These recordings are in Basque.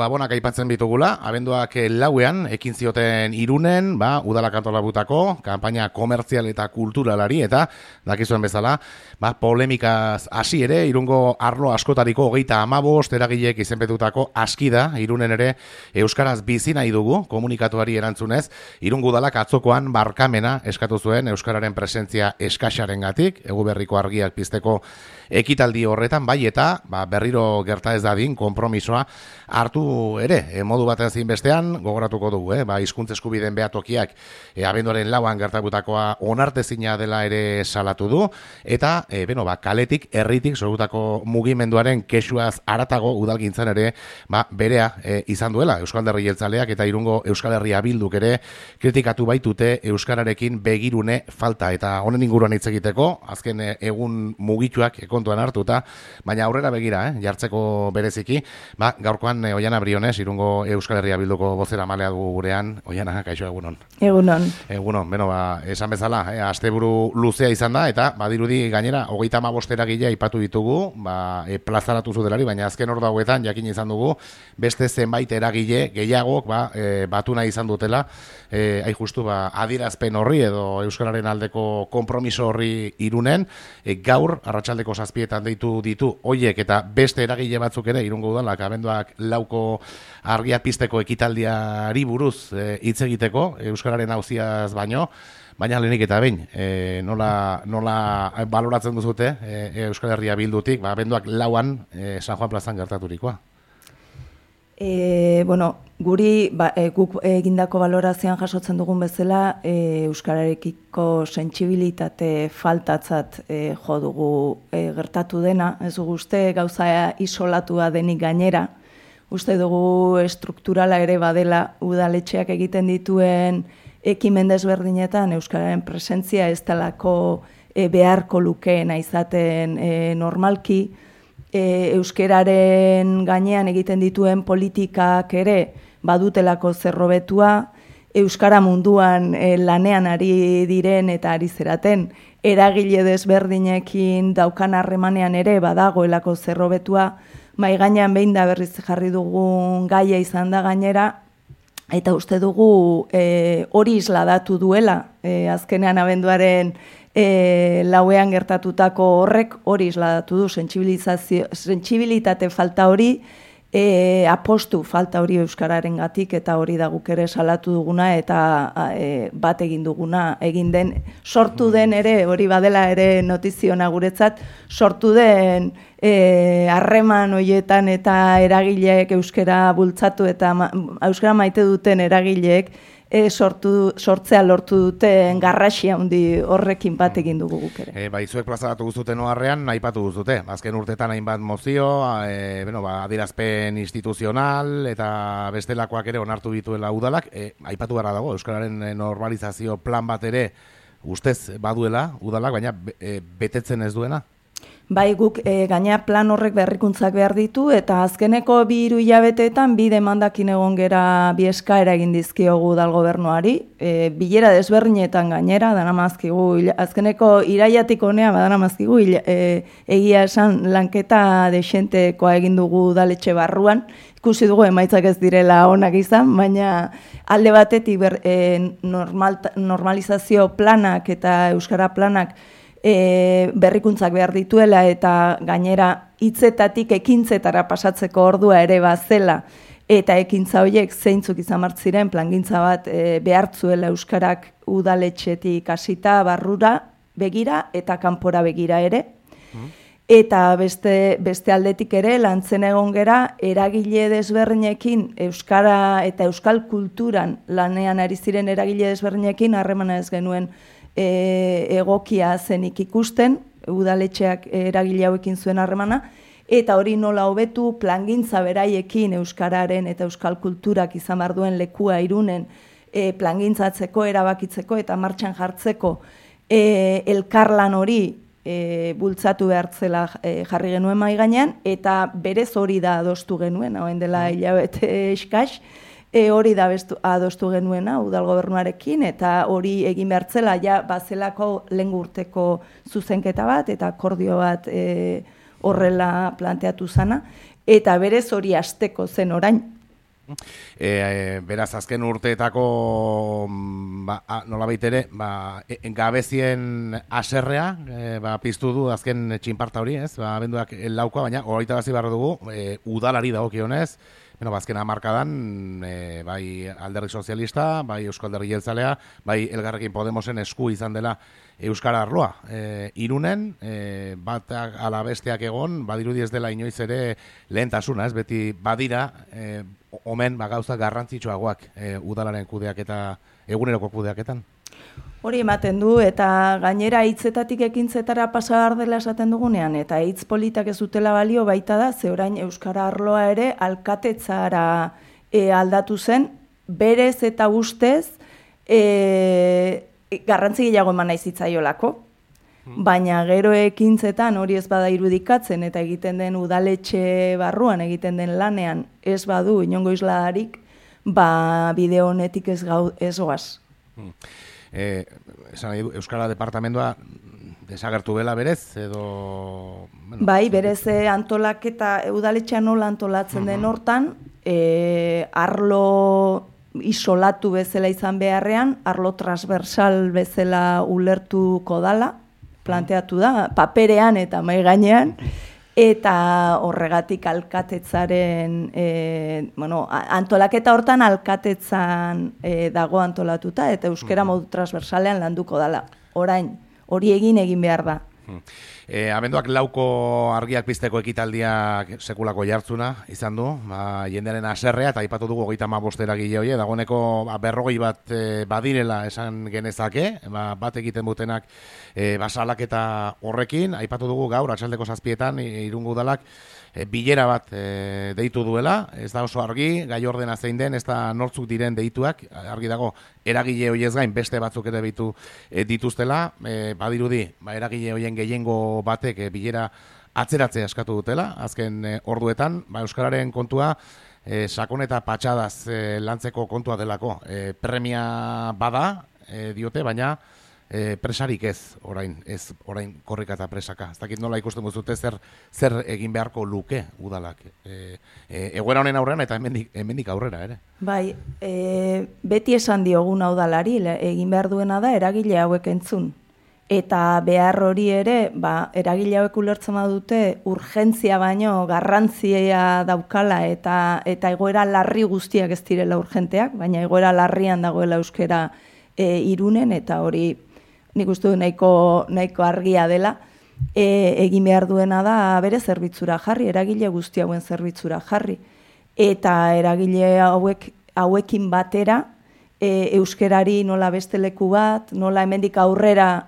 Gabonak aipatzen bitugula, abenduak lauean, ekin zioten Irunen, udalak antolabutako, kanpaina komertzial eta kulturalari, eta dakizuen bezala, polemikaz hasi ere, Irungo arlo askotariko 35 eragilek izenpetutako askida, Irunen ere euskaraz bizi nahi dugu, komunikatuari erantzunez, Irungo udalak atzokoan barkamena eskatu zuen euskararen presentzia eskaxarengatik, Eguberriko argiak pizteko ekitaldi horretan, bai eta berriro gerta ez dadin konpromisoa hartu ere, modu batean zein bestean gogoratuko dugu, hizkuntza eskubideen behatokiak abenduaren lauan gertatutakoa onartezina dela ere salatu du, eta kaletik, herritik sortutako mugimenduaren kexuaz haratago udalgintzan ere berea izan duela Euskal Herri Jeltzaleak eta Irungo Euskal Herria Bilduk ere kritikatu baitute euskararekin begirune falta, eta honen inguruan hitz egiteko azken egun mugituak kontuan hartuta, baina aurrera begira, jartzeko bereziki, gaurkoan Oiana Briones, Irungo Euskal Herria Bilduko bozera malea dugu gurean. Oiana, kaixo, egunon. Egunon. Egunon, esan bezala, asteburu luzea izan da, eta badirudi gainera, 35 eragile aipatu ditugu, plazaratu zudelari, baina azken ordu hauetan jakin izan dugu, beste zenbait eragile gehiagok batu nahi izan dutela, justu adierazpen horri edo euskararen aldeko konpromiso horri Irunen, gaur, arratsaldeko 7etan deitu ditu hoiek eta beste eragile batzuk ere Irungo udalak abenduak lauko argia pizteko ekitaldiari buruz hitz egiteko, euskararen auziaz baino, baina lehenik eta behin, nola baloratzen duzute Euskal Herria Bildutik, abenduak lauan San Juan plazan gertaturikoa? Guri guk egindako balorazioan jasotzen dugun bezala euskararekiko sentsibilitate faltatzat jo dugu gertatu dena, ez dugu uste gauza isolatua denik gainera, uste dugu estrukturala ere badela udaletxeak egiten dituen ekimen desberdinetan euskararen presentzia ez delako beharko lukeena izaten normalki, euskararen gainean egiten dituen politikak ere badutelako zerrobetua, euskara munduan lanean ari diren eta ari zeraten, eragile desberdinekin daukan harremanean ere badagoelako zerrobetua, mai gainean behin da berriz jarri dugun gaia izan da gainera, eta uste dugu hori isladatu duela, azkenean abenduaren lauean gertatutako horrek hori isladatu du, sentsibilitate falta hori, apostu falta hori euskararen gatik, eta hori da guk ere salatu duguna eta bat egin duguna, egin den, sortu den ere, hori badela ere notiziona guretzat, sortu den harreman horietan eta eragileek euskara bultzatu eta euskara maite duten eragileek sortzea lortu duten garrasia handi horrekin bat egin dugu guk ere. Zuek plazaratu guztuten oharrean, aipatu guztute. Azken urtetan hainbat mozio, adierazpen instituzional eta bestelakoak ere onartu dituela udalak. Aipatu gara dago, euskararen normalizazio plan bat ere ustez baduela udalak, baina betetzen ez duena? Bai, guk gaina plan horrek berrikuntzak behar ditu, eta azkeneko 2 hilabeteetan 2 demandakin egon gera 2 eskaera egin dizkiogu udal gobernuari, bilera desberdinetan gainera, danamazkigu, azkeneko iraiatik honea, danamazkigu, egia esan lanketa desentekoa egin dugu udaletxe barruan, ikusi dugu emaitzak ez direla onak izan, baina alde batetik normalizazio planak eta euskara planak berrikuntzak behar dituela eta gainera hitzetatik ekintzetara pasatzeko ordua ere bazela eta ekintza horiek zeintzuk izan ziren plangintza bat behartzuela euskarak udaletxetik hasita barrura begira eta kanpora begira ere. Eta beste aldetik ere lantzen egon gera eragile desberdinekin euskara eta euskal kulturan lanean ari ziren eragile desberdinekin harremana ez genuen egokia zenik ikusten, udaletxeak eragile hauekin zuen harremana, eta hori nola hobetu plangintza beraiekin euskararen eta euskal kulturak izan behar duen lekua Irunen plangintzatzeko, erabakitzeko eta martxan jartzeko elkarlan hori bultzatu behartzela jarri genuen mahai gainean, eta berez hori da adostu genuen, hauen dela hilabete eskas, hori da adostu genuena udal gobernuarekin, eta hori egin behartzela ja bazelako lehen urteko zuzenketa bat, eta akordio bat horrela planteatu zana, eta berez hori hasteko zen orain. Beraz, azken urteetako nolabait ere, gabezien aserrea piztu du azken txinparta hori, ez? Abenduak laukoa, baina hogeita bazi behar dugu, udalari dagokionez, azken hamarkadan, bai Alderdi Sozialista, bai Eusko Alderdi Jeltzalea, bai Elkarrekin Podemosen esku izan dela euskara arloa. Irunen, batak ala besteak egon, badirudi ez dela inoiz ere lehentasuna, ez? Beti badira, omen gauza garrantzitsuagoak udalaren kudeaketa, eguneroko kudeaketan. Hori ematen du, eta gainera hitzetatik ekintzetara pasa behar dela esaten dugunean, eta hitz politak ez dutela balio baita da, ze orain euskara arloa ere alkatetzara aldatu zen, berez eta ustez garrantzi gehiago eman nahi zitzaiolako. Baina gero ekintzetan hori ez bada irudikatzen eta egiten den udaletxe barruan, egiten den lanean ez badu inongo isladarik, bideo honetik ez goaz. Esan nahi du, Euskara Departamentoa desagertu bela berez, edo... Bai, berez antolaketa, udaletxean nola antolatzen den hortan, arlo isolatu bezala izan beharrean, arlo transversal bezala ulertuko dala, planteatu da, paperean eta mahai gainean, eta horregatik alkatetzaren, antolaketa hortan alkatetzan dago antolatuta, eta euskera modu transversalean landuko dala. Orain, hori egin behar da. Abenduak lauko argiak pizteko ekitaldiak sekulako jartzuna izan du, jendearen aserrea, eta aipatu dugu 35 eragile hori, dagoeneko 40 bat badirela esan genezake, bat egiten dutenak salaketa horrekin, aipatu dugu gaur, atxaldeko 7etan, Irungo Udalak bilera bat deitu duela, ez da oso argi, gai ordena zein den, ez da nortzuk diren deituak, argi dago, eragile horiez gain beste batzuk ere dituztela, badirudi, eragile horien gehiengo batek bilera atzeratzea eskatu dutela, azken orduetan, euskararen kontua sakon eta patxadaz lantzeko kontua delako. Premia bada, diote, baina presarik ez orain korrika eta presaka. Ez dakit nola ikusten duzute zer egin beharko luke udalak. Egoera honen aurrean eta hemendik aurrera ere. Bai, beti esan diogun udalari, egin behar duena da eragile hauek entzun. Eta behar hori ere, eragile hauek ulertzen badute urgentzia baino garrantzia daukala eta egoera larri guztiak ez direla urgenteak, baina egoera larrian dagoela euskera Irunen, eta hori nik uste du nahiko argia dela, egin behar duena da bere zerbitzura jarri, eragile guzti hauen zerbitzura jarri. Eta eragile hauekin batera, euskerari nola beste leku bat, nola hemendik aurrera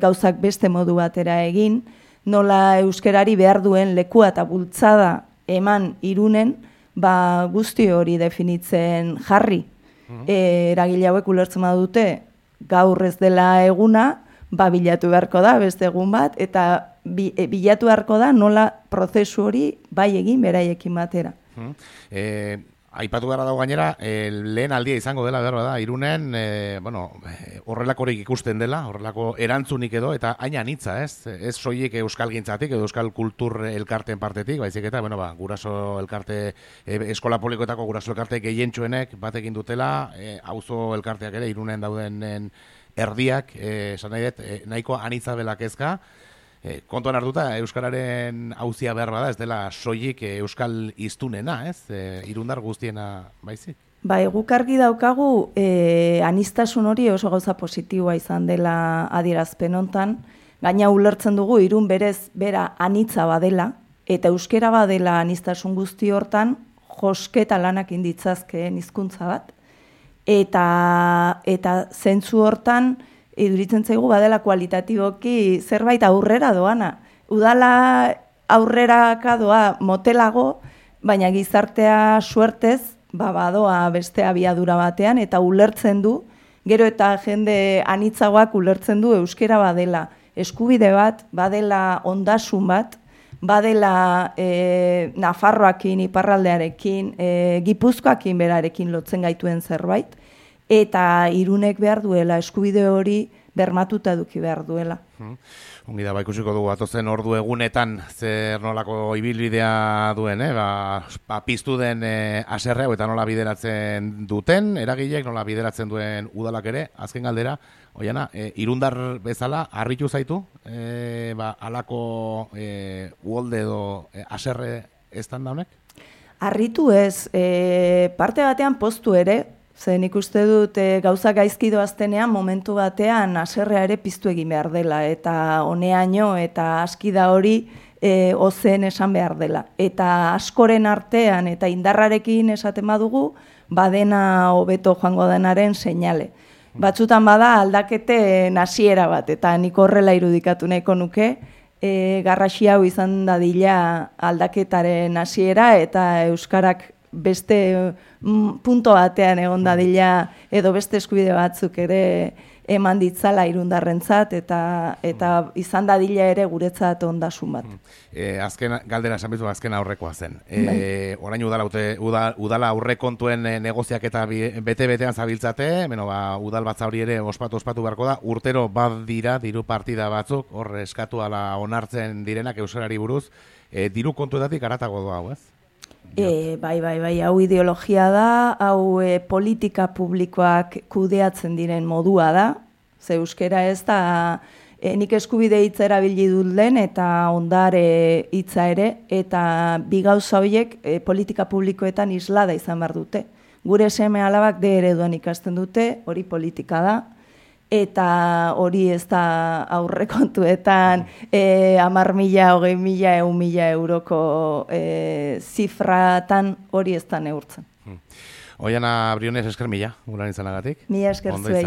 gauzak beste modu batera egin, nola euskerari behar duen lekua eta bultzada eman Irunen, guzti hori definitzen jarri. Eragile hauek ulertzen badute gaur ez dela eguna, bilatu beharko da beste egun bat, eta bilatu beharko da nola prozesu hori bai egin beraiekin batera. Aipatu gara dago gainera, lehen aldia izango dela behar da, Irunen, horrelakorik ikusten dela, horrelako erantzunik edo, eta hain anitza, ez soilik euskal gintzatik, edo euskal kultur elkarten partetik, baizik eta, guraso elkarte, eskola publikoetako guraso elkarte gehientsuenek batekin dutela, auzo elkarteak ere, Irunen dauden erdiak, esan nahi dut, nahiko anitza bela kezka, kontuan hartuta, euskararen auzia behar bada, ez dela soilik euskal hiztunena, ez? Irundar guztiena baizik. Guk argi daukagu, aniztasun hori oso gauza positiboa izan dela adierazpen hontan, gaina ulertzen dugu Irun berez bera anitza badela, eta euskera badela aniztasun guzti hortan, josketa lanak inditzazkeen hizkuntza bat, eta zentzu hortan, iduritzen zaigu badela kualitatiboki zerbait aurrera doana. Udala aurreraka doa motelago, baina gizartea suertez, badoa beste abiadura batean, eta ulertzen du, gero eta jende anitzagoak ulertzen du euskera badela eskubide bat, badela ondasun bat, badela Nafarroakin, iparraldearekin, Gipuzkoakin berarekin lotzen gaituen zerbait, eta Irunek behar duela eskubide hori bermatuta eduki behar duela. Ongi da, ikusiko dugu atozen ordu egunetan zer nolako ibilbidea duen, piztu den haserre eta nola bideratzen duten, eragilek nola bideratzen duen udalak ere, azken galdera, Oiana, Irundar bezala, harritu zaitu, alako uholde edo haserre estan da honek? Harritu ez, parte batean poztu ere, zen ikuste dut gauza gaizki doaztenean momentu batean haserrea ere piztu egin behar dela, eta honeaino eta aski da hori ozen esan behar dela. Eta askoren artean eta indarrarekin esaten badugu, badena hobeto joango denaren seinale. Batzutan bada aldaketen hasiera bat, eta nik horrela irudikatu nahiko nuke, garrasi hau izan dadila aldaketaren hasiera eta euskarak beste punto batean egon dadila edo beste eskubide batzuk ere eman ditzala Irundarrentzat eta izan dadila ere guretzat ondasun bat. Azken galdera esan bizu azken aurrekoa zen. Orain udala aurrekontuen negoziak eta bete-betean zabiltzate, udal batza hori ere ospatu beharko da, urtero bat dira diru partida batzuk, hor eskatu ala onartzen direnak euskarari buruz, diru kontuetatik aratago doa, hau ez? Bai, hau ideologia da, hau politika publikoak kudeatzen diren modua da, ze euskera ez da, nik eskubide hitza erabili dut lehen eta ondare hitza ere, eta bi gauza horiek politika publikoetan islada izan behar dute. Gure seme alabak D ereduan ikasten dute, hori politika da, eta hori ez da aurrekontuetan 10.000, 20.000, 1.000 euroko zifratan hori ez da neurtzen. Oiana Briones, esker mila, gulan izanagatik. Mila esker zuei.